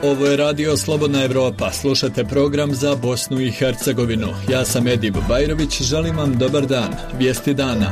Ovo je Radio Slobodna Evropa. Slušate program za Bosnu i Hercegovinu. Ja sam Edib Bajrović, želim vam dobar dan. Vijesti dana.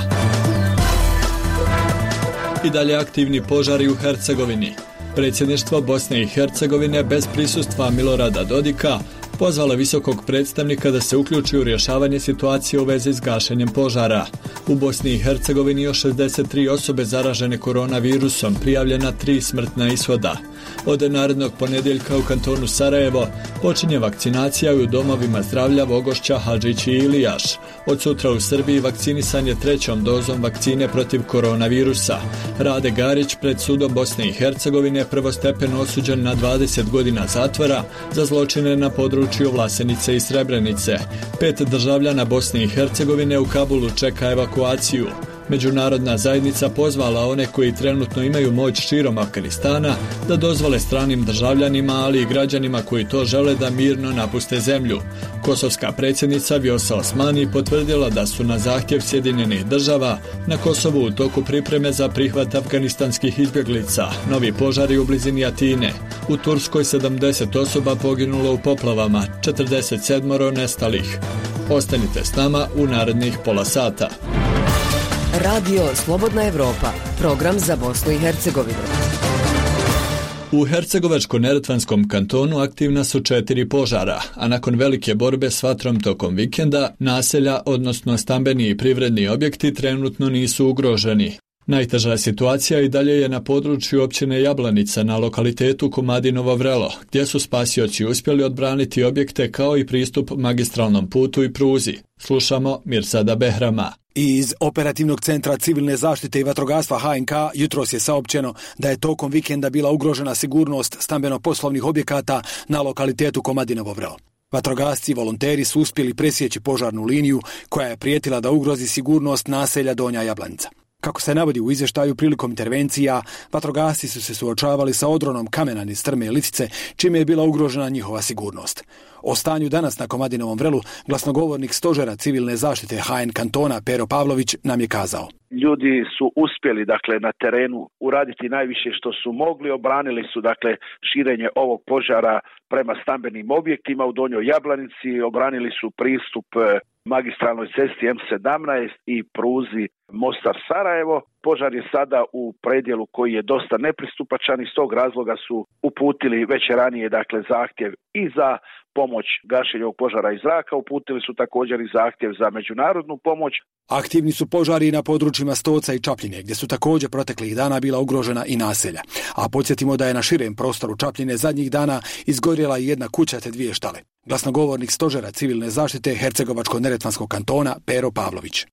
I dalje aktivni požari u Hercegovini. Predsjedništvo Bosne i Hercegovine bez prisustva Milorada Dodika pozvalo visokog predstavnika da se uključi u rješavanje situacije u vezi s gašenjem požara. U Bosni i Hercegovini još 63 osobe zaražene koronavirusom, prijavljena 3 smrtna ishoda. Od narednog ponedjeljka u kantonu Sarajevo počinje vakcinacija u domovima zdravlja Vogošća, Hadžić i Ilijaš. Od sutra u Srbiji vakcinisan je 3. dozom vakcine protiv koronavirusa. Rade Garić pred sudom Bosne i Hercegovine prvostepeno osuđen na 20 godina zatvora za zločine na području Vlasenice i Srebrenice. 5 državljana Bosne i Hercegovine u Kabulu čeka evakuaciju. Međunarodna zajednica pozvala one koji trenutno imaju moć širom Afganistana da dozvole stranim državljanima, ali i građanima koji to žele da mirno napuste zemlju. Kosovska predsjednica Vjosa Osmani potvrdila da su na zahtjev Sjedinjenih država na Kosovu u toku pripreme za prihvat afganistanskih izbjeglica. Novi požari u blizini Atine. U Turskoj 70 osoba poginulo u poplavama, 47 nestalih. Ostanite s nama u narednih pola sata. Radio Slobodna Evropa, program za Bosnu i Hercegovinu. U Hercegovačko-neretvanskom kantonu aktivna su 4 požara, a nakon velike borbe s vatrom tokom vikenda, naselja, odnosno stambeni i privredni objekti trenutno nisu ugroženi. Najteža situacija i dalje je na području općine Jablanica na lokalitetu Komadinovo Vrelo, gdje su spasioci uspjeli odbraniti objekte kao i pristup magistralnom putu i pruzi. Slušamo Mirsada Behrama. Iz Operativnog centra civilne zaštite i vatrogastva HNK jutros je saopćeno da je tokom vikenda bila ugrožena sigurnost stambeno-poslovnih objekata na lokalitetu Komadinovo Vrelo. Vatrogasci i volonteri su uspjeli presjeći požarnu liniju koja je prijetila da ugrozi sigurnost naselja Donja Jablanica. Kako se navodi u izvještaju, prilikom intervencija, vatrogasci su se suočavali sa odronom kamena niz strme i litice, čime je bila ugrožena njihova sigurnost. O stanju danas na Komadinovom Vrelu glasnogovornik stožera civilne zaštite HN kantona Pero Pavlović nam je kazao. Ljudi su uspjeli na terenu uraditi najviše što su mogli, obranili su širenje ovog požara prema stambenim objektima u Donjoj Jablanici, obranili su pristup magistralnoj cesti M17 i pruzi Mostar Sarajevo. Požar je sada u predjelu koji je dosta nepristupačan, iz tog razloga su uputili već ranije zahtjev i za pomoć gašenja ovog požara iz zraka, uputili su također i zahtjev za međunarodnu pomoć. Aktivni su požari na područjima Stoca i Čapljine, gdje su također proteklih dana bila ugrožena i naselja. A podsjetimo da je na širem prostoru Čapljine zadnjih dana izgorjela i jedna kuća te 2 štale. Glasnogovornik stožera civilne zaštite Hercegovačko-neretvanskog kantona Pero Pavlović.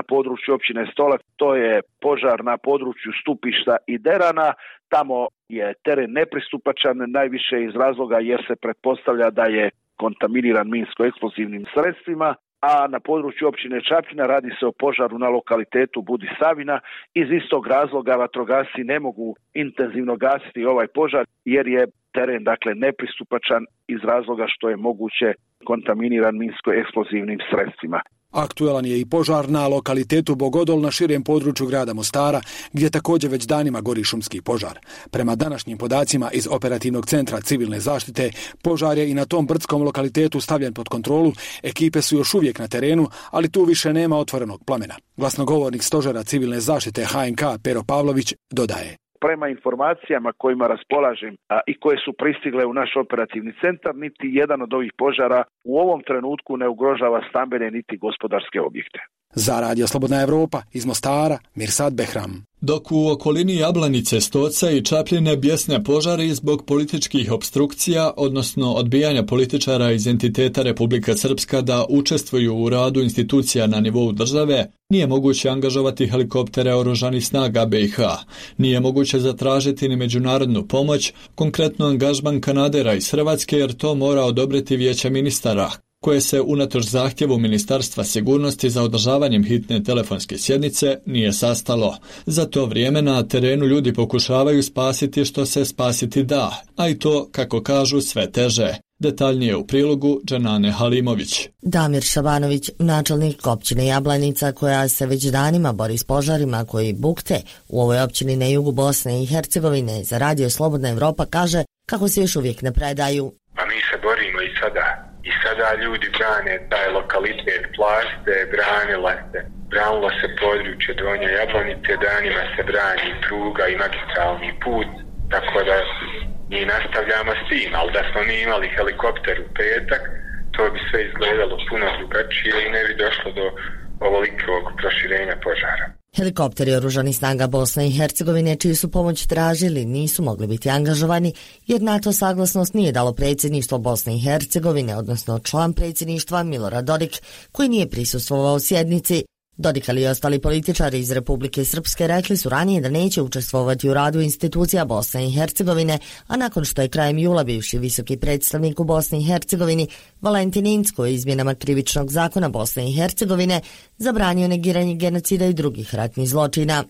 Na području općine Stolac, to je požar na području Stupišta i Derana. Tamo je teren nepristupačan, najviše iz razloga jer se pretpostavlja da je kontaminiran minsko-eksplozivnim sredstvima, a na području općine Čapljina radi se o požaru na lokalitetu Budi Savina. Iz istog razloga vatrogasci ne mogu intenzivno gasiti ovaj požar jer je teren nepristupačan iz razloga što je moguće kontaminiran minsko-eksplozivnim sredstvima. Aktualan je i požar na lokalitetu Bogodol na širem području grada Mostara, gdje također već danima gori šumski požar. Prema današnjim podacima iz Operativnog centra civilne zaštite, požar je i na tom brdskom lokalitetu stavljen pod kontrolu, ekipe su još uvijek na terenu, ali tu više nema otvorenog plamena. Glasnogovornik stožera civilne zaštite HNK Pero Pavlović dodaje. Prema informacijama kojima raspolažem i koje su pristigle u naš operativni centar, niti jedan od ovih požara u ovom trenutku ne ugrožava stambene niti gospodarske objekte. Za Radio Slobodna Evropa iz Mostara, Mirsad Behram. Dok u okolini Jablanice, Stoca i Čapljine bjesne požari zbog političkih opstrukcija, odnosno odbijanja političara iz entiteta Republika Srpska da učestvuju u radu institucija na nivou države, nije moguće angažovati helikoptere oružanih snaga BiH. Nije moguće zatražiti ni međunarodnu pomoć, konkretno angažman kanadera iz Hrvatske, jer to mora odobriti Vijeće ministara, koje se unatoč zahtjevu Ministarstva sigurnosti za održavanjem hitne telefonske sjednice nije sastalo. Za to vrijeme na terenu ljudi pokušavaju spasiti što se spasiti da, a i to, kako kažu, sve teže. Detaljnije u prilogu Dženane Halimović. Damir Šabanović, načelnik općine Jablanica, koja se već danima bori s požarima koji bukte u ovoj općini na jugu Bosne i Hercegovine, za Radio Slobodna Evropa kaže kako se još uvijek ne predaju. A mi se borimo i sada ljudi brane taj lokalitet Plaste, branilo se područje Donje Jablanice, danima se brani pruga i magistralni put, tako da mi nastavljamo s tim, ali da smo mi imali helikopter u petak, to bi sve izgledalo puno drugačije i ne bi došlo do ovolikog proširenja požara. Helikopteri Oružanih snaga Bosne i Hercegovine, čiju su pomoć tražili, nisu mogli biti angažovani jer na to saglasnost nije dalo predsjedništvo Bosne i Hercegovine, odnosno član predsjedništva Milorad Dodik, koji nije prisustvovao sjednici. Dodik ali i ostali političari iz Republike Srpske rekli su ranije da neće učestvovati u radu institucija Bosne i Hercegovine, a nakon što je krajem jula bivši visoki predstavnik u Bosni i Hercegovini Valentin Incko izmjenama krivičnog zakona Bosne i Hercegovine zabranio negiranje genocida i drugih ratnih zločina.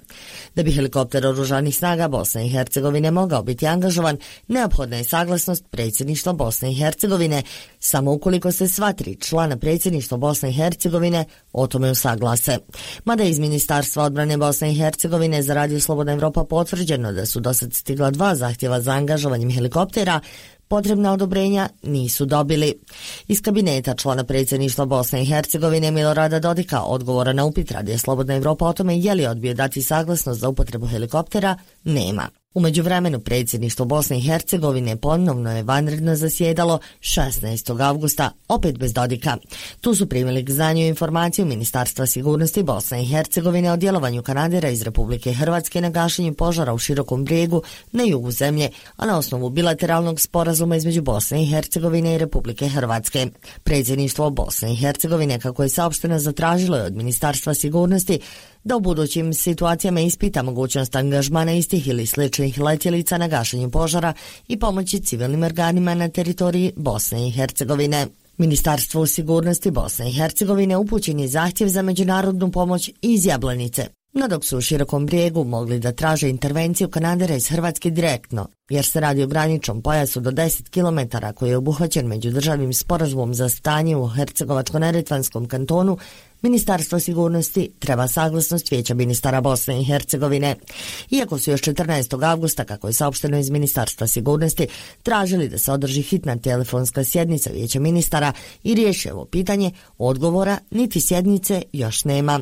Da bi helikopter Oružanih snaga Bosne i Hercegovine mogao biti angažovan, neophodna je saglasnost predsjedništva Bosne i Hercegovine, samo ukoliko se sva 3 člana predsjedništva Bosne i Hercegovine o tome usaglase. Mada iz Ministarstva odbrane Bosne i Hercegovine za Radio Slobodna Evropa potvrđeno da su dosad stigla 2 zahtjeva za angažovanjem helikoptera, potrebna odobrenja nisu dobili. Iz kabineta člana predsjedništva Bosne i Hercegovine Milorada Dodika odgovora na upit Radio Slobodna Evropa o tome je li odbio dati saglasnost za upotrebu helikoptera nema. U međuvremenu predsjedništvo Bosne i Hercegovine ponovno je vanredno zasjedalo 16. avgusta, opet bez Dodika. Tu su primili k znanju informaciju Ministarstva sigurnosti Bosne i Hercegovine o djelovanju kanadera iz Republike Hrvatske na gašenju požara u Širokom Brijegu na jugu zemlje, a na osnovu bilateralnog sporazuma između Bosne i Hercegovine i Republike Hrvatske. Predsjedništvo Bosne i Hercegovine, kako je saopšteno, zatražilo je od Ministarstva sigurnosti da u budućim situacijama ispita mogućnost angažmana istih ili sličnih letjelica na gašenju požara i pomoći civilnim organima na teritoriji Bosne i Hercegovine. Ministarstvu sigurnosti Bosne i Hercegovine upućen je zahtjev za međunarodnu pomoć iz Jablanice, no dok su u Širokom Brijegu mogli da traže intervenciju kanadera iz Hrvatske direktno, jer se radi o graničnom pojasu do 10 km koji je obuhvaćen međudržavnim sporazumom za stanje u Hercegovačko-neretvanskom kantonu, Ministarstvo sigurnosti treba saglasnost Vijeća ministara Bosne i Hercegovine. Iako su još 14. avgusta, kako je saopšteno iz Ministarstva sigurnosti, tražili da se održi hitna telefonska sjednica Vijeća ministara i riješi ovo pitanje, odgovora niti sjednice još nema.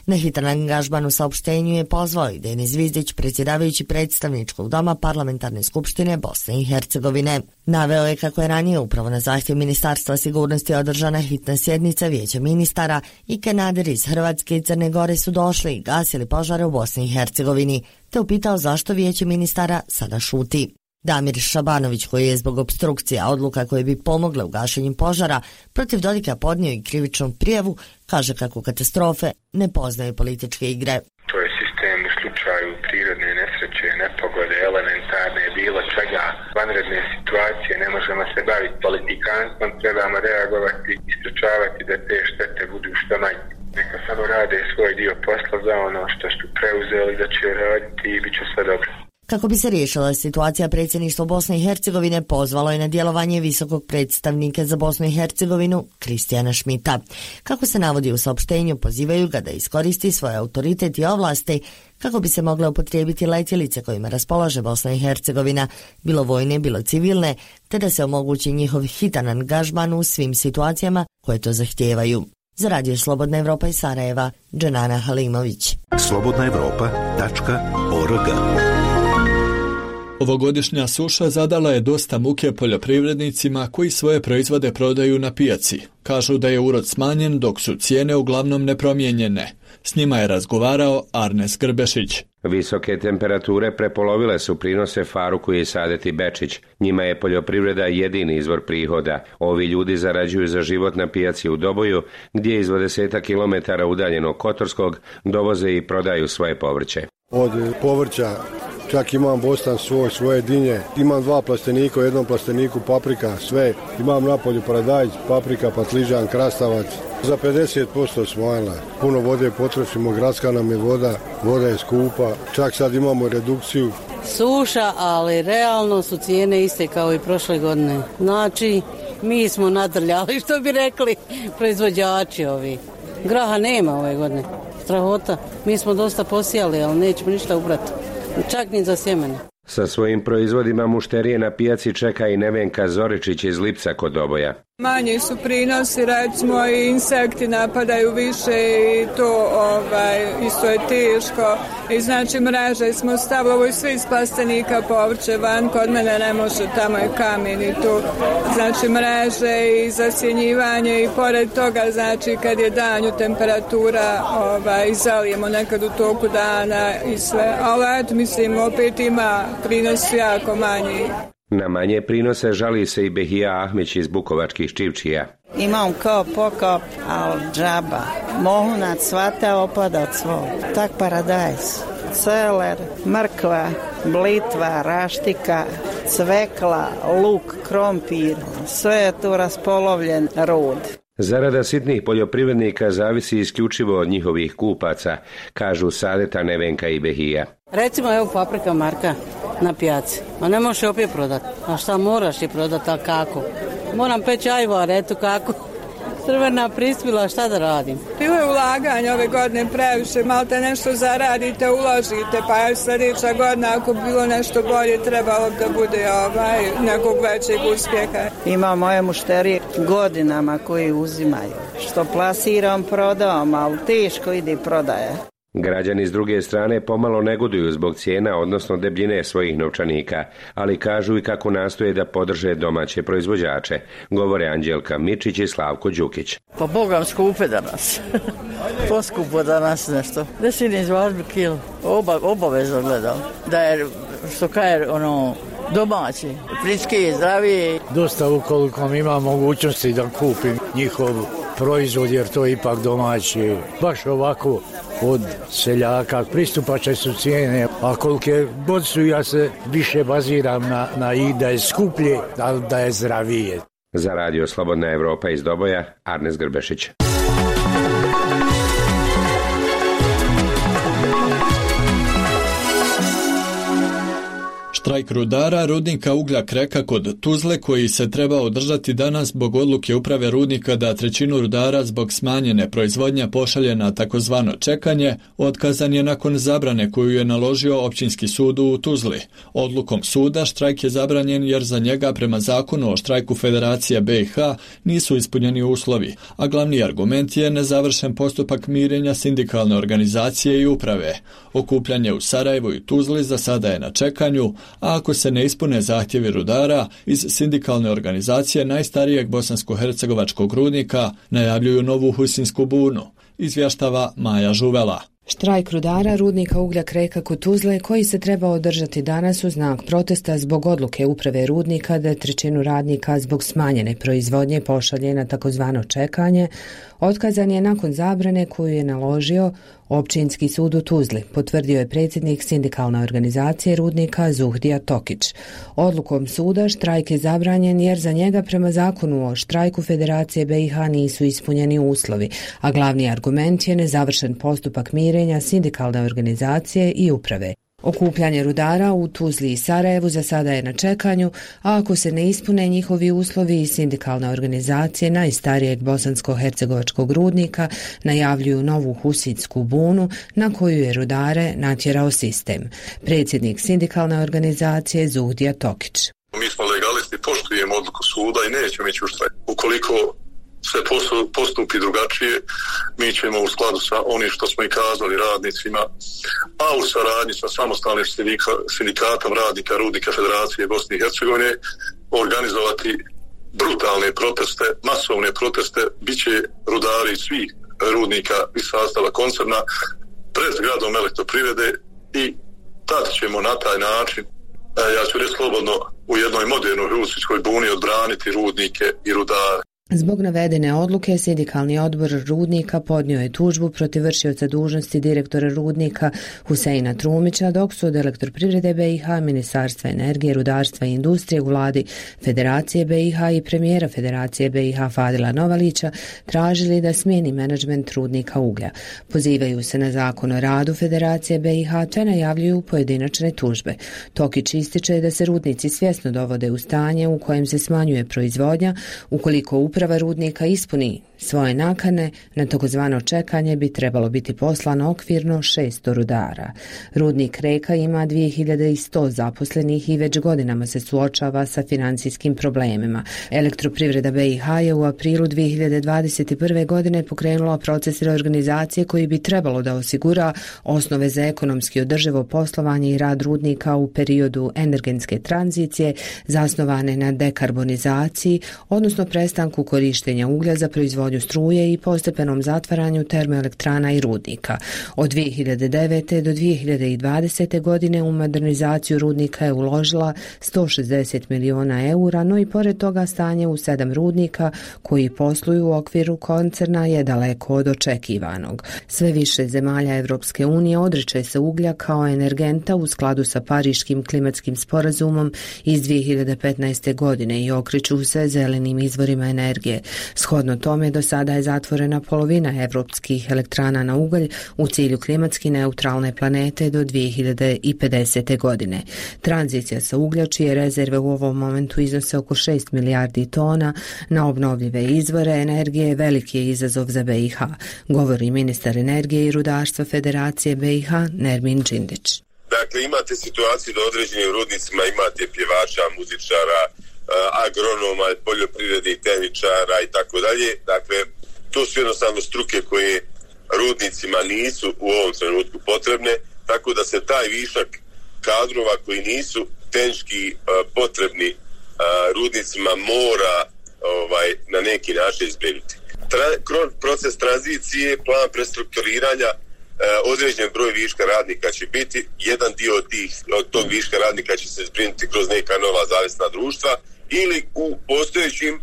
Na hitan angažman u saopštenju je pozvao i Denis Zvizdić, predsjedavajući predstavničkog doma Parlamentarne skupštine Bosne i Hercegovine. Naveo je kako je ranije upravo na zahtjev Ministarstva sigurnosti održana hitna sjednica Vijeća ministara i kanaderi iz Hrvatske i Crne Gore su došli i gasili požare u Bosni i Hercegovini, te upitao zašto Vijeće ministara sada šuti. Damir Šabanović, koji je zbog opstrukcija odluka koje bi pomogle u gašenju požara protiv Dodika podnio i krivičnu prijavu, kaže kako katastrofe ne poznaju političke igre. To je sistem u slučaju prirodne nesreće, nepogode, elementarne, bilo čega, vanredne situacije, ne možemo se baviti politikanstvom, trebamo reagovati i sprečavati da te štete budu što manje. Neka samo rade svoj dio posla za ono što su preuzeli da će raditi i bit će sve dobro. Kako bi se riješila situacija, predsjedništvo Bosne i Hercegovine pozvalo je na djelovanje visokog predstavnika za Bosnu i Hercegovinu Kristijana Šmita. Kako se navodi u saopštenju, pozivaju ga da iskoristi svoj autoritet i ovlasti kako bi se mogle upotrijebiti letjelice kojima raspolaže Bosna i Hercegovina, bilo vojne, bilo civilne, te da se omogući njihov hitan angažman u svim situacijama koje to zahtijevaju. Za Radio Slobodna Evropa iz Sarajeva, Dženana Halimović. slobodnaevropa.org. Ovogodišnja suša zadala je dosta muke poljoprivrednicima koji svoje proizvode prodaju na pijaci. Kažu da je urod smanjen dok su cijene uglavnom nepromijenjene. S njima je razgovarao Arnes Grbešić. Visoke temperature prepolovile su prinose Faruku i Sadeti Bečić. Njima je poljoprivreda jedini izvor prihoda. Ovi ljudi zarađuju za život na pijaci u Doboju, gdje iz 20 kilometara udaljenog Kotorskog dovoze i prodaju svoje povrće. Od povrća čak imam bostan svoje dinje, imam 2 plastenika, u jednom plasteniku paprika, sve. Imam napolju paradajz, paprika, patližan, krastavac. Za 50% smanjila. Puno vode potrošimo, gradska nam je voda je skupa. Čak sad imamo redukciju. Suša, ali realno su cijene iste kao i prošle godine. Znači, mi smo nadrljali, što bi rekli proizvođači ovi. Graha nema ove godine. Strahota. Mi smo dosta posijali, ali nećemo ništa ubrati. Čak ni za sjemene. Sa svojim proizvodima mušterije na pijaci čeka i Nevenka Zoričić iz Lipca kod Doboja. Manji su prinosi, recimo i insekti napadaju više i to isto je teško. I znači mreže smo stavili svi iz plastenika povrće van, kod mene ne može, tamo je kamen i tu. Znači mreže i zasjenjivanje i pored toga znači kad je danju temperatura zalijemo nekad u toku dana i sve. Ali eto mislim opet ima prinos jako manji. Na manje prinose žali se i Behija Ahmić iz Bukovačkih Ščivčija. Imam kao pokop, ali džaba. Mohu nad cvata opada od svog. Tak paradajz. Celer, mrkva, blitva, raštika, cvekla, luk, krompir. Sve je tu raspolovljen rod. Zarada sitnih poljoprivrednika zavisi isključivo od njihovih kupaca, kažu Sadeta, Nevenka i Behija. Recimo evo paprika Marka na pijaci, a ne možeš opet prodati. A šta moraš je prodati, a kako? Moram peći ajvar, eto kako. Crvena prispila, šta da radim? Bilo je ulaganje ove godine previše, malo te nešto zaradite, uložite, pa je sljedeća godina ako bilo nešto bolje trebalo da bude nekog većeg uspjeha. Ima moje mušterije godinama koji uzimaju. Što plasiram, prodam, ali teško ide prodaje. Građani s druge strane pomalo negoduju zbog cijena, odnosno debljine svojih novčanika, ali kažu i kako nastoje da podrže domaće proizvođače, govore Anđelka Mičić i Slavko Đukić. Pa Bogam skupe danas. Poskupo danas nešto. Da si ne izvažbi kilo. Obavezno gledam. Da je, što kaže, domaći, friški, zdraviji. Dosta ukoliko ima mogućnosti da kupim njihov proizvod, jer to je ipak domaći. Baš ovako od seljaka, pristupačne su cijene, a kolike god su, ja se više baziram na i da je skuplje, ali da je zdravije. Za Radio Slobodna Evropa iz Doboja, Arnes Grbešić. Štrajk rudara rudnika uglja Kreka kod Tuzle, koji se treba održati danas zbog odluke uprave rudnika da trećinu rudara zbog smanjene proizvodnje pošalje na takozvano čekanje, otkazan je nakon zabrane koju je naložio općinski sud u Tuzli. Odlukom suda štrajk je zabranjen jer za njega prema zakonu o štrajku Federacije BiH nisu ispunjeni uslovi, a glavni argument je nezavršen postupak mirenja sindikalne organizacije i uprave. Okupljanje u Sarajevu i Tuzli za sada je na čekanju, a ako se ne ispune zahtjevi rudara, iz sindikalne organizacije najstarijeg bosansko-hercegovačkog rudnika najavljuju novu husinsku bunu, izvještava Maja Žuvela. Štrajk rudara rudnika uglja Kreka kod Tuzle, koji se treba održati danas u znak protesta zbog odluke uprave rudnika da trećinu radnika zbog smanjene proizvodnje pošalje na takozvano čekanje, otkazan je nakon zabrane koju je naložio općinski sud u Tuzli, potvrdio je predsjednik sindikalne organizacije rudnika Zuhdija Tokić. Odlukom suda štrajk je zabranjen jer za njega prema zakonu o štrajku Federacije BiH nisu ispunjeni uslovi, a glavni argument je nezavršen postupak mirenja sindikalne organizacije i uprave. Okupljanje rudara u Tuzli i Sarajevu za sada je na čekanju, a ako se ne ispune njihovi uslovi i sindikalne organizacije najstarijeg bosansko-hercegovačkog rudnika najavljuju novu husinsku bunu na koju je rudare natjerao sistem. Predsjednik sindikalne organizacije Zuhdija Tokić. Mi smo legalisti, poštujemo odluku suda i nećemo ići u štrajk. Ukoliko se postupi drugačije, mi ćemo u skladu sa onim što smo i kazali radnicima, a u saradnji sa samostalnim sindikatom radnika rudnika Federacije Bosne i Hercegovine organizovati brutalne proteste, masovne proteste, bit će rudari svih rudnika iz sastava koncerna pred zgradom elektroprivrede i tad ćemo na taj način, ja ću reći slobodno, u jednoj modernoj husinskoj buni odbraniti rudnike i rudare. Zbog navedene odluke, sindikalni odbor rudnika podnio je tužbu protiv vršioca dužnosti direktora rudnika Huseina Trumića, dok su od Elektroprivrede BiH, Ministarstva energije, rudarstva i industrije u vladi Federacije BiH i premijera Federacije BiH Fadila Novalića tražili da smijeni menadžment rudnika uglja. Pozivaju se na zakon o radu Federacije BiH te najavljuju pojedinačne tužbe. Tokić ističe da se rudnici svjesno dovode u stanje u kojem se smanjuje proizvodnja ukoliko uprava rudnika ispuni svoje nakane, na takozvano čekanje bi trebalo biti poslano okvirno 600 rudara. Rudnik Reka ima 2100 zaposlenih i već godinama se suočava sa financijskim problemima. Elektroprivreda BiH je u aprilu 2021. godine pokrenula proces reorganizacije koji bi trebalo da osigura osnove za ekonomski održivo poslovanje i rad rudnika u periodu energetske tranzicije zasnovane na dekarbonizaciji, odnosno prestanku korištenja uglja za proizvodnju struje i postepenom zatvaranju termoelektrana i rudnika. Od 2009. do 2020. godine u modernizaciju rudnika je uložila 160 miliona eura, no i pored toga stanje u 7 rudnika koji posluju u okviru koncerna je daleko od očekivanog. Sve više zemalja Evropske unije odriče se uglja kao energenta u skladu sa Pariškim klimatskim sporazumom iz 2015. godine i okreću se zelenim izvorima energije. Shodno tome, do sada je zatvorena polovina evropskih elektrana na ugalj u cilju klimatski neutralne planete do 2050. godine. Tranzicija sa uglja, čije rezerve u ovom momentu iznose oko 6 milijardi tona na obnovljive izvore energije, veliki je izazov za BiH, govori ministar energije i rudarstva Federacije BiH Nermin Džindić. Dakle, imate situaciju da određenim rudnicima imate pjevača, muzičara, agronoma, poljoprivrednih tehničara i tako dalje. Dakle, to su jednostavno struke koje rudnicima nisu u ovom trenutku potrebne, tako da se taj višak kadrova koji nisu tehnički potrebni rudnicima mora na neki način izbjegnuti. Kroz proces tranzicije, plan prestrukturiranja, određen broj viška radnika će biti, jedan dio od tog viška radnika će se zbrinuti kroz neka nova zavisna društva ili u postojećim,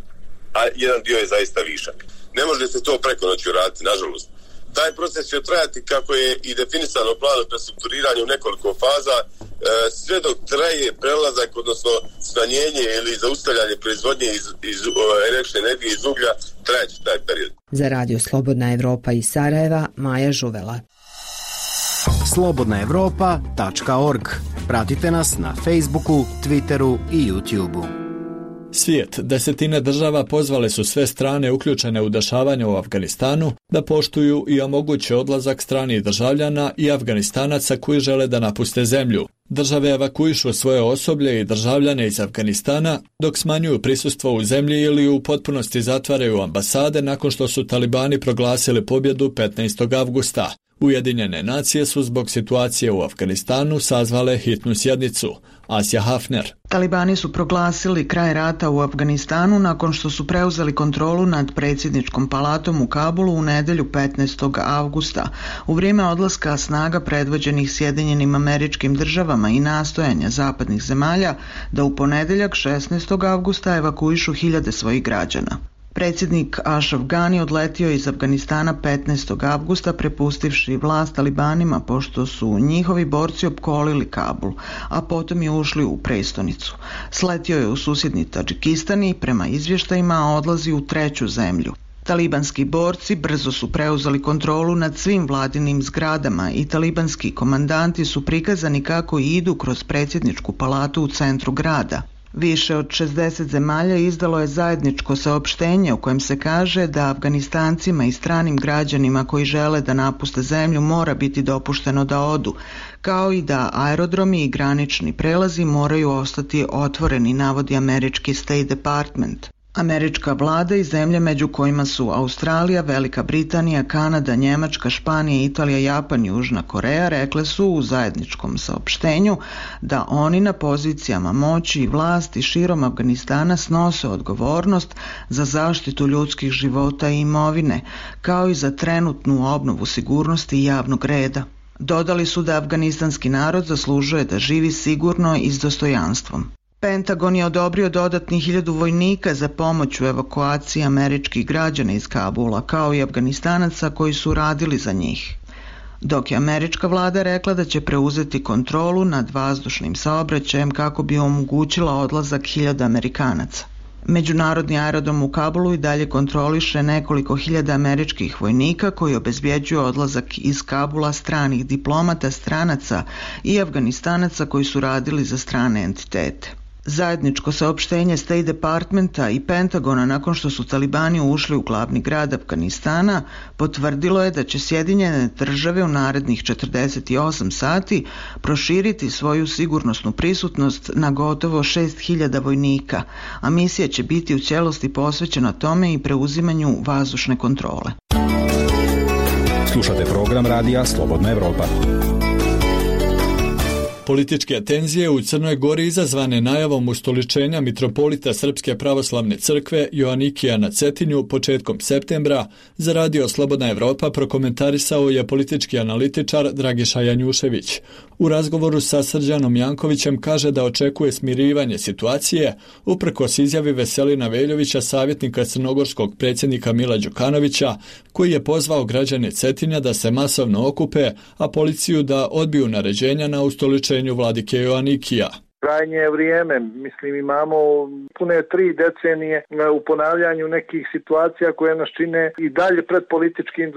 a jedan dio je zaista višak. Ne može se to preko noći uraditi, nažalost. Taj proces će trajati kako je i definisano planom prestrukturiranja u nekoliko faza, sve dok traje prelazak, odnosno smanjenje ili zaustavljanje proizvodnje iz električne energije iz uglja, trajeće taj period. Za Radio Slobodna Evropa iz Sarajeva, Maja Žuvela. slobodnaevropa.org. Pratite nas na Facebooku, Twitteru i YouTubeu. Svijet, desetine država pozvale su sve strane uključene u dešavanja u Afganistanu da poštuju i omoguće odlazak stranih državljana i Afganistanaca koji žele da napuste zemlju. Države evakuišu svoje osoblje i državljane iz Afganistana dok smanjuju prisustvo u zemlji ili u potpunosti zatvaraju ambasade nakon što su talibani proglasili pobjedu 15. avgusta. Ujedinjene nacije su zbog situacije u Afganistanu sazvale hitnu sjednicu. Asja Hafner. Talibani su proglasili kraj rata u Afganistanu nakon što su preuzeli kontrolu nad predsjedničkom palatom u Kabulu u nedjelju 15. avgusta. U vrijeme odlaska snaga predvođenih Sjedinjenim Američkim Državama i nastojanja zapadnih zemalja da u ponedjeljak 16. avgusta evakuišu hiljade svojih građana. Predsjednik Ashraf Ghani odletio iz Afganistana 15. avgusta prepustivši vlast talibanima pošto su njihovi borci opkolili Kabul, a potom i ušli u prestonicu. Sletio je u susjedni Tadžikistan i prema izvještajima odlazi u treću zemlju. Talibanski borci brzo su preuzeli kontrolu nad svim vladinim zgradama i talibanski komandanti su prikazani kako idu kroz predsjedničku palatu u centru grada. Više od 60 zemalja izdalo je zajedničko saopštenje u kojem se kaže da Afganistancima i stranim građanima koji žele da napuste zemlju mora biti dopušteno da odu, kao i da aerodromi i granični prelazi moraju ostati otvoreni, navodi američki State Department. Američka vlada i zemlje među kojima su Australija, Velika Britanija, Kanada, Njemačka, Španija, Italija, Japan i Južna Koreja rekle su u zajedničkom saopštenju da oni na pozicijama moći i vlasti širom Afganistana snose odgovornost za zaštitu ljudskih života i imovine, kao i za trenutnu obnovu sigurnosti i javnog reda. Dodali su da afganistanski narod zaslužuje da živi sigurno i s dostojanstvom. Pentagon je odobrio dodatnih 1000 vojnika za pomoć u evakuaciji američkih građana iz Kabula, kao i Afganistanaca koji su radili za njih. Dok je američka vlada rekla da će preuzeti kontrolu nad vazdušnim saobraćajem kako bi omogućila odlazak 1000 Amerikanaca. Međunarodni aerodrom u Kabulu i dalje kontroliše nekoliko hiljada američkih vojnika koji obezbjeđuju odlazak iz Kabula stranih diplomata, stranaca i Afganistanaca koji su radili za strane entitete. Zajedničko saopštenje State Departmenta i Pentagona nakon što su talibani ušli u glavni grad Afganistana potvrdilo je da će Sjedinjene države u narednih 48 sati proširiti svoju sigurnosnu prisutnost na gotovo 6.000 vojnika, a misija će biti u cijelosti posvećena tome i preuzimanju vazdušne kontrole. Slušate program radija Slobodna Evropa. Političke tenzije u Crnoj Gori izazvane najavom ustoličenja mitropolita Srpske pravoslavne crkve Joanikija na Cetinju početkom septembra za radio Slobodna Evropa prokomentarisao je politički analitičar Dragiša Janjušević. U razgovoru sa Srđanom Jankovićem kaže da očekuje smirivanje situacije uprkos izjavi Veselina Veljovića, savjetnika crnogorskog predsjednika Mila Đukanovića, koji je pozvao građane Cetinja da se masovno okupe, a policiju da odbiju naređenja na ustoličenju vladike Joanikija. Krajnje je vrijeme, mislim imamo pune 3 decenije u ponavljanju nekih situacija koje nas čine i dalje pred političkim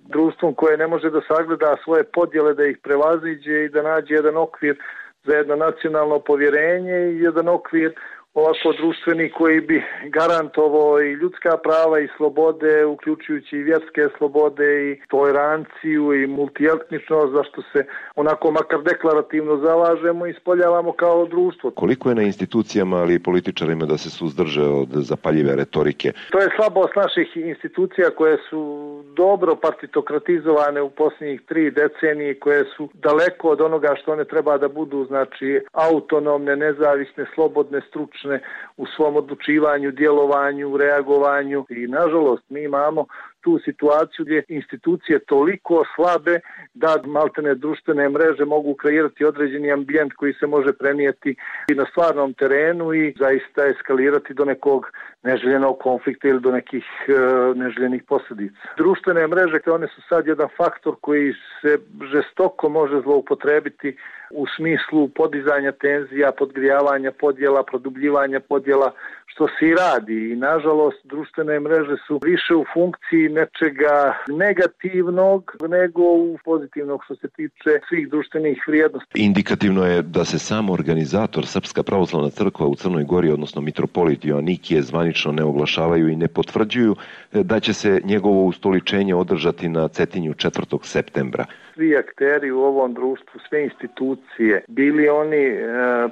društvom koje ne može da sagleda svoje podjele, da ih prevaziđe i da nađe jedan okvir za jedno nacionalno povjerenje i jedan okvir ovako društveni koji bi garantovao i ljudska prava i slobode, uključujući i vjerske slobode i toleranciju i multietničnost, za što se onako makar deklarativno zalažemo i ispoljavamo kao društvo. Koliko je na institucijama, ali i političarima da se suzdrže od zapaljive retorike? To je slabost naših institucija koje su dobro partitokratizovane u posljednjih 3 decenije, koje su daleko od onoga što one treba da budu, znači autonomne, nezavisne, slobodne, stručne u svom odlučivanju, djelovanju, reagovanju i nažalost mi imamo tu situaciju gdje institucije toliko slabe da maltene društvene mreže mogu kreirati određeni ambijent koji se može prenijeti i na stvarnom terenu i zaista eskalirati do nekog neželjenog konflikta ili do nekih neželjenih posljedica. Društvene mreže, one su sad jedan faktor koji se žestoko može zloupotrebiti u smislu podizanja tenzija, podgrijavanja podjela, produbljivanja podjela, što se i radi. I nažalost, društvene mreže su više u funkciji nečega negativnog nego u pozitivnog što se tiče svih društvenih vrijednosti. Indikativno je da se sam organizator Srpska pravoslavna crkva u Crnoj Gori, odnosno mitropolit Joanikije, zvanično ne oglašavaju i ne potvrđuju da će se njegovo ustoličenje održati na Cetinju 4. septembra. Svi akteri u ovom društvu, sve institucije, bili oni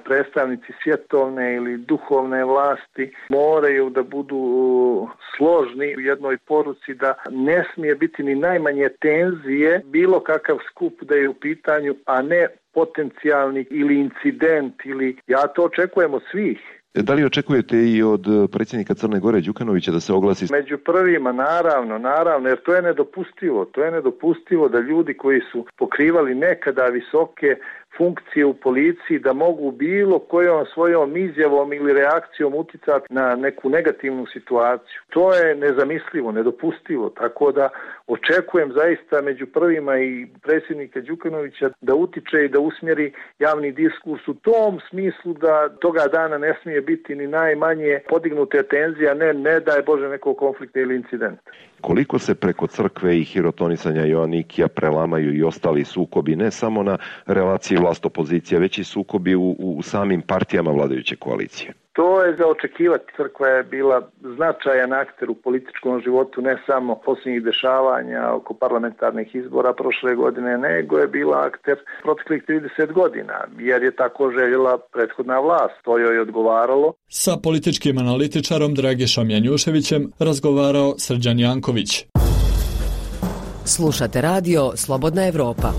predstavnici svjetovne ili duhovne vlasti, moraju da budu složni u jednoj poruci da ne smije biti ni najmanje tenzije, bilo kakav skup da je u pitanju, a ne potencijalni ili incident, ili ja to očekujem od svih. Da li očekujete i od predsjednika Crne Gore Đukanovića da se oglasi? Među prvima, naravno, jer to je nedopustivo da ljudi koji su pokrivali nekada visoke funkcije u policiji da mogu bilo kojom svojom izjavom ili reakcijom utjecati na neku negativnu situaciju. To je nezamislivo, nedopustivo, tako da očekujem zaista među prvima i predsjednika Đukanovića da utiče i da usmjeri javni diskurs u tom smislu da toga dana ne smije biti ni najmanje podignute tenzije, ne daj Bože nekog konflikta ili incidenta. Koliko se preko crkve i hirotonisanja Joanikija prelamaju i ostali sukobi, ne samo na relaciji vlast-opozicija, već i sukobi u samim partijama vladajuće koalicije? To je za očekivati. Crkva je bila značajan akter u političkom životu, ne samo posljednjih dešavanja oko parlamentarnih izbora prošle godine, nego je bila akter proteklih 30 godina, jer je tako željela prethodna vlast. To joj je odgovaralo. Sa političkim analitičarom Dragišom Janjuševićem razgovarao Srđan Janković. Slušate radio Slobodna Evropa.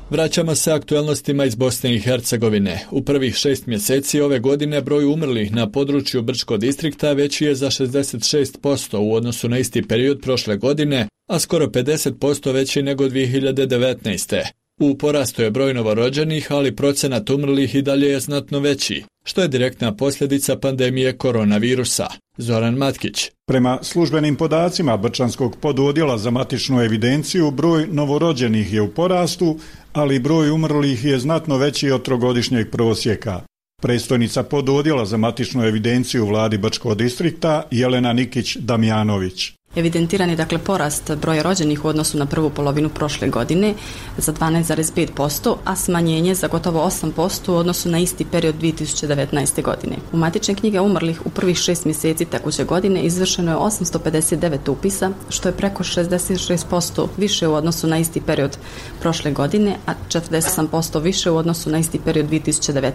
Vraćamo se aktualnostima iz Bosne i Hercegovine. U prvih 6 mjeseci ove godine broj umrlih na području Brčkog distrikta veći je za 66% u odnosu na isti period prošle godine, a skoro 50% veći nego 2019. U porastu je broj novorođenih, ali procenat umrlih i dalje je znatno veći, što je direktna posljedica pandemije koronavirusa. Zoran Matkić. Prema službenim podacima Brčanskog pododjela za matičnu evidenciju, broj novorođenih je u porastu, ali broj umrlih je znatno veći od trogodišnjeg prosjeka. Predstojnica pododjela za matičnu evidenciju u vladi Brčkog distrikta Jelena Nikić-Damjanović. Evidentiran je porast broja rođenih u odnosu na prvu polovinu prošle godine za 12,5%, a smanjenje za gotovo 8% u odnosu na isti period 2019. godine. U matične knjige umrlih u prvih 6 mjeseci tekuće godine izvršeno je 859 upisa, što je preko 66% više u odnosu na isti period prošle godine, a 48% više u odnosu na isti period 2019.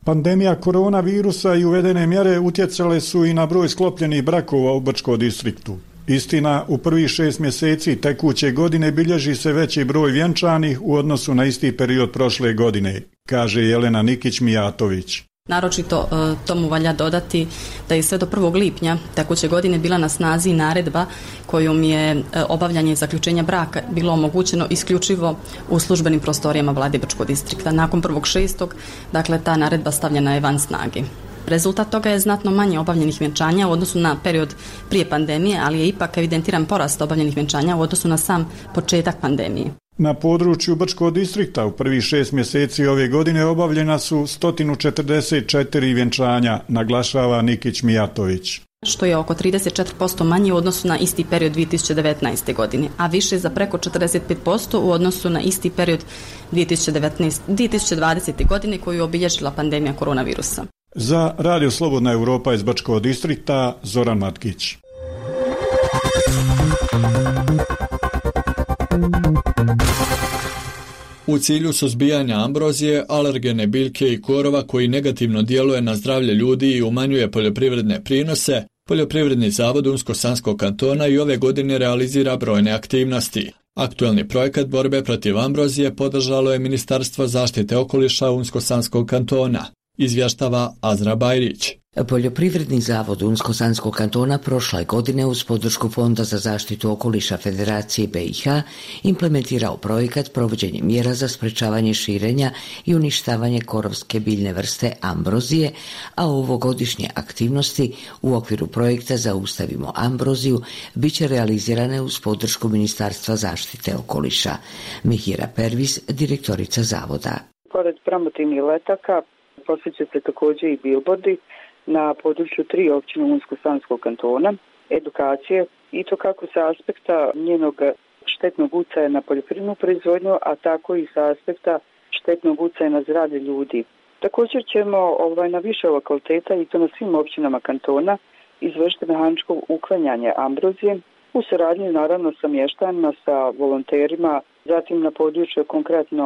Pandemija koronavirusa i uvedene mjere utjecale su i na broj sklopljenih brakova u Brčkom distriktu. Istina, u prvih 6 mjeseci tekuće godine bilježi se veći broj vjenčanih u odnosu na isti period prošle godine, kaže Jelena Nikić-Mijatović. Naročito tomu valja dodati da je sve do 1. lipnja tekuće godine bila na snazi naredba kojom je obavljanje zaključenja braka bilo omogućeno isključivo u službenim prostorijama Vlade Brčkog distrikta. Nakon 1.6. ta naredba stavljena je van snage. Rezultat toga je znatno manje obavljenih vjenčanja u odnosu na period prije pandemije, ali je ipak evidentiran porast obavljenih vjenčanja u odnosu na sam početak pandemije. Na području Brčkog distrikta u prvih 6 mjeseci ove godine obavljena su 144 vjenčanja, naglašava Nikić-Mijatović. Što je oko 34% manje u odnosu na isti period 2019. godine, a više za preko 45% u odnosu na isti period 2020. godine koju je obilježila pandemija koronavirusa. Za Radio Slobodna Europa iz Brčkog distrikta, Zoran Matkić. U cilju suzbijanja ambrozije, alergene biljke i korova koji negativno djeluje na zdravlje ljudi i umanjuje poljoprivredne prinose, Poljoprivredni zavod Unsko-Sanskog kantona i ove godine realizira brojne aktivnosti. Aktuelni projekat borbe protiv ambrozije podržalo je Ministarstvo zaštite okoliša Unsko-Sanskog kantona, izvještava Azra Bajrić. Poljoprivredni zavod Unsko-Sanskog kantona prošle godine uz podršku Fonda za zaštitu okoliša Federacije BiH implementirao projekat provođenje mjera za sprečavanje širenja i uništavanje korovske biljne vrste ambrozije, a ovogodišnje aktivnosti u okviru projekta Zaustavimo ambroziju bit će realizirane uz podršku Ministarstva zaštite okoliša. Mihira Pervis, direktorica zavoda. Pored promotivnih letaka posjeća se također i bilbordi na području 3 općine Unsko-Sanskog kantona, edukacije i to kako sa aspekta njenog štetnog utjecaja na poljoprivrednu proizvodnju, a tako i sa aspekta štetnog utjecaja na zdravlje ljudi. Također ćemo na više lokaliteta i to na svim općinama kantona izvršiti mehaničko uklanjanje ambrozije u suradnji naravno sa mještanima, sa volonterima, zatim na području konkretno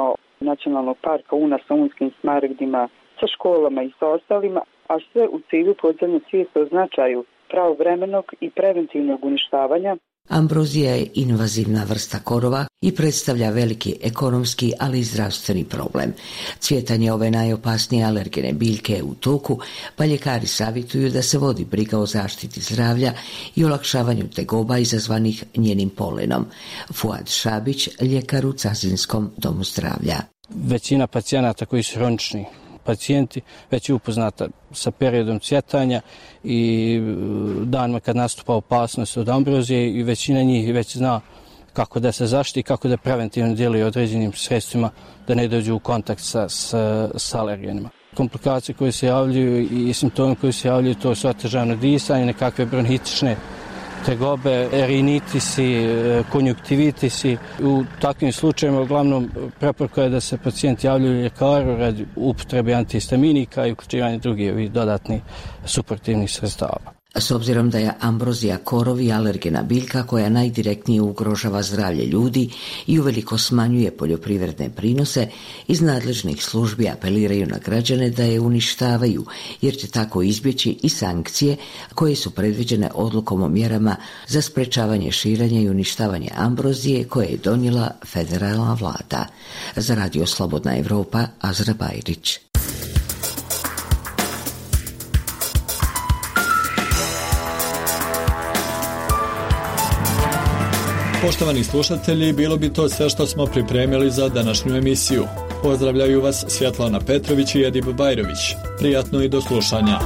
Nacionalnog parka Una sa unskim smaragdima, sa školama i sa ostalima, a sve u cilju podizanja svijesti o značaju pravovremenog i preventivnog uništavanja. Ambrozija je invazivna vrsta korova i predstavlja veliki ekonomski, ali i zdravstveni problem. Cvjetanje ove najopasnije alergene biljke je u toku, pa ljekari savjetuju da se vodi briga o zaštiti zdravlja i olakšavanju tegoba izazvanih njenim polenom. Fuad Šabić, ljekar u Cazinskom domu zdravlja. Većina pacijenata koji su hronični pacijenti već je upoznata sa periodom cvjetanja i danima kad nastupa opasnost od ambrozije i većina njih već zna kako da se zaštiti, kako da preventivno djeluje određenim sredstvima da ne dođu u kontakt sa alergenima. Komplikacije koje se javljaju i simptomi koji se javljaju to su otežano disanje, nekakve bronhitične tegobe, rinitisi, konjuktivitisi. U takvim slučajevima uglavnom preporuka je da se pacijenti javljaju ljekaru radi upotrebe antihistaminika i uključivanja drugih dodatnih suportivnih sredstava. S obzirom da je ambrozija korovi alergena biljka koja najdirektnije ugrožava zdravlje ljudi i uveliko smanjuje poljoprivredne prinose, iz nadležnih službi apeliraju na građane da je uništavaju, jer će tako izbjeći i sankcije koje su predviđene odlukom o mjerama za sprečavanje širenja i uništavanje ambrozije koje je donijela federalna vlada. Za Radio Slobodna Europa, Azra Bajrić. Poštovani slušatelji, bilo bi to sve što smo pripremili za današnju emisiju. Pozdravljaju vas Svjetlana Petrović i Edip Bajrović. Prijatno i do slušanja.